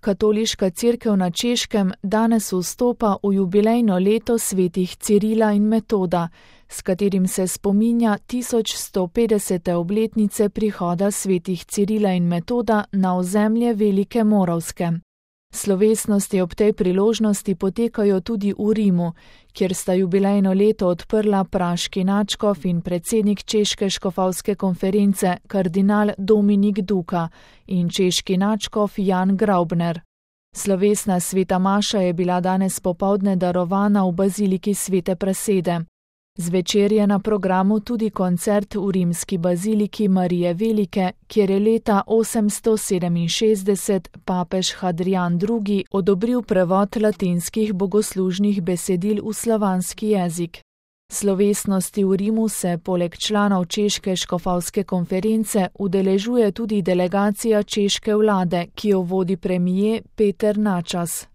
Katoliška cerkev na Češkem danes vstopa v jubilejno leto svetih Cirila in Metoda, s katerim se spominja 1150. obletnice prihoda svetih Cirila in Metoda na ozemlje Velike Moravske. Slovesnosti ob tej priložnosti potekajo tudi v Rimu, kjer sta jubilejno leto odprla praški nadškof in predsednik Češke škofovske konference kardinal Dominik Duka in češki nadškof Jan Graubner. Slovesna sveta maša je bila danes popoldne darovana v baziliki Svete Prasede. Zvečer je na programu tudi koncert v rimski baziliki Marije Velike, kjer je leta 867 papež Hadrijan II. Odobril prevod latinskih bogoslužnih besedil v slovanski jezik. Slovesnosti v Rimu se poleg članov Češke škofovske konference udeležuje tudi delegacija češke vlade, ki jo vodi premier Peter Načas.